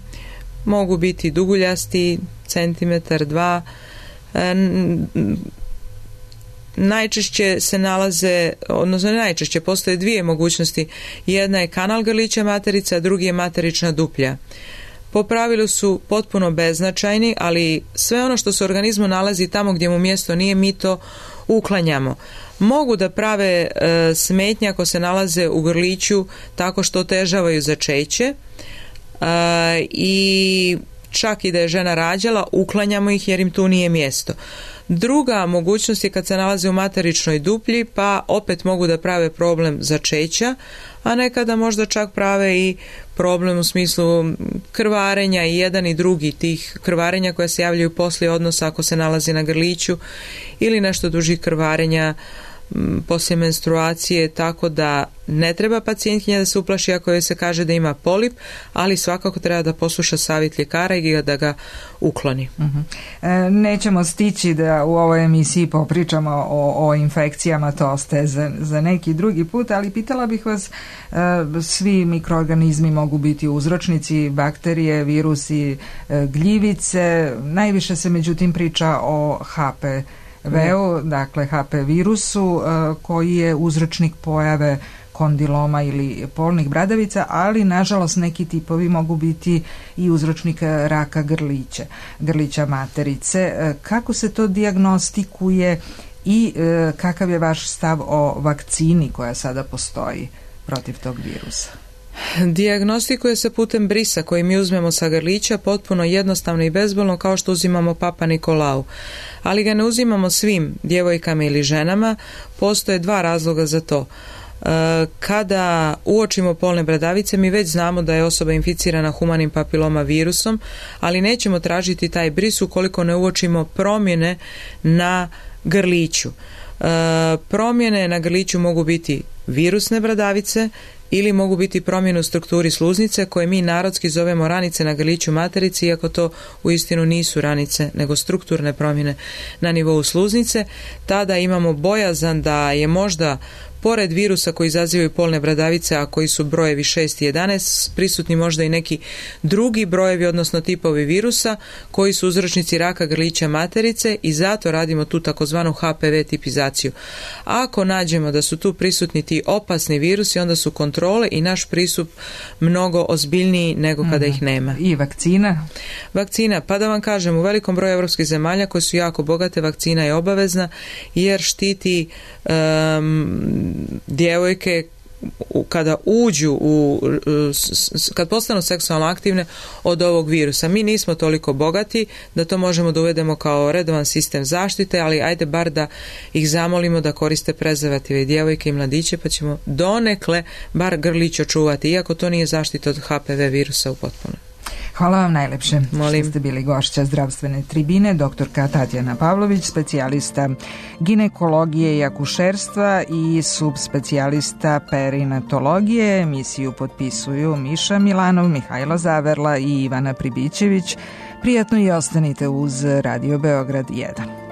mogu biti duguljasti, 1-2 cm. Najčešće se nalaze, odnosno najčešće postoje 2 mogućnosti. Jedna je kanal grlića materice, a drugi je materična duplja. Po pravilu su potpuno beznačajni, ali sve ono što se u organizmu nalazi tamo gdje mu mjesto nije, mi to uklanjamo. Mogu da prave smetnje ako se nalaze u grliću tako što otežavaju začeće i čak i da je žena rađala, uklanjamo ih jer im tu nije mjesto. Druga mogućnost je kad se nalaze u materičnoj duplji, pa opet mogu da prave problem začeća, a nekada možda čak prave i problem u smislu krvarenja i jedan i drugi tih krvarenja koja se javljaju poslije odnosa ako se nalazi na grliću ili nešto dužih krvarenja poslije menstruacije, tako da ne treba pacijentkinja da se uplaši ako joj se kaže da ima polip, ali svakako treba da posluša savjet ljekara i da ga ukloni. Nećemo stići da u ovoj emisiji popričamo o infekcijama, to ostaje za neki drugi put, ali pitala bih vas, svi mikroorganizmi mogu biti uzročnici, bakterije, virusi, gljivice, najviše se međutim priča o HPV-u, dakle HP virusu, koji je uzročnik pojave kondiloma ili polnih bradavica, ali nažalost neki tipovi mogu biti i uzročnik raka grlića materice. Kako se to dijagnostikuje i kakav je vaš stav o vakcini koja sada postoji protiv tog virusa? Dijagnostikuje se putem brisa koji mi uzmemo sa grlića, potpuno jednostavno i bezbolno kao što uzimamo Papa Nikolau. Ali ga ne uzimamo svim djevojkama ili ženama, postoje 2 razloga za to. Kada uočimo polne bradavice, mi već znamo da je osoba inficirana humanim papiloma virusom, ali nećemo tražiti taj bris ukoliko ne uočimo promjene na grliću. Promjene na grliću mogu biti virusne bradavice ili mogu biti promjene u strukturi sluznice koje mi narodski zovemo ranice na grliću materice, iako to uistinu nisu ranice nego strukturne promjene na nivou sluznice. Tada imamo bojazan da je možda pored virusa koji izazivaju polne bradavice, a koji su brojevi 6 i 11, prisutni možda i neki drugi brojevi, odnosno tipovi virusa koji su uzročnici raka grlića materice i zato radimo tu takozvanu HPV tipizaciju. Ako nađemo da su tu prisutni ti opasni virusi, onda su kontrole i naš pristup mnogo ozbiljniji nego kada ih nema. I vakcina? Vakcina, pa da vam kažem, u velikom broju evropskih zemalja koje su jako bogate, vakcina je obavezna jer štiti djevojke kada uđu kad postanu seksualno aktivne od ovog virusa. Mi nismo toliko bogati da to možemo da uvedemo kao redovan sistem zaštite, ali ajde bar da ih zamolimo da koriste prezervative i djevojke i mladiće, pa ćemo donekle bar grlić očuvati, iako to nije zaštita od HPV virusa u potpuno. Hvala vam najlepše što ste bili gošća zdravstvene tribine, doktorka Tatjana Pavlović, specijalista ginekologije i akušerstva i subspecijalista perinatologije. Emisiju potpisuju Miša Milanov, Mihajlo Zaverla i Ivana Pribićević. Prijatno i ostanite uz Radio Beograd 1.